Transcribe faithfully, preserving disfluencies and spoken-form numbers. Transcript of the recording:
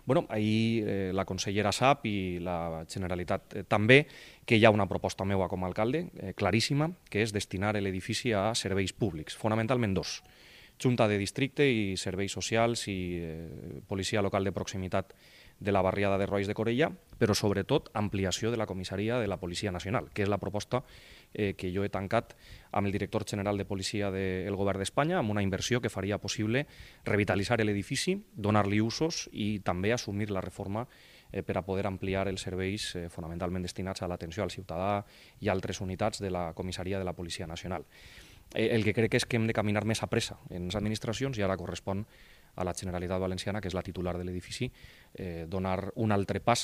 Bueno, ahir eh, la consellera sap i la Generalitat eh, també que hi ha una proposta meua com a alcalde, eh, claríssima, que és destinar l'edifici a serveis públics, fonamentalment dos. Junta de districte i serveis socials i eh, policia local de proximitat de la barriada de Rois de Corella, però sobretot ampliació de la comissaria de la Policia Nacional, que és la proposta eh, que jo he tancat amb el director general de policia del govern d'Espanya, amb una inversió que faria possible revitalitzar l'edifici, donar-li usos i també assumir la reforma eh, per a poder ampliar els serveis eh, fonamentalment destinats a l'atenció al ciutadà i altres unitats de la comissaria de la Policia Nacional. Eh, el que crec és que hem de caminar més a pressa en les administracions i ara correspon a la Generalitat Valenciana, que és la titular de l'edifici, eh, donar un altre pas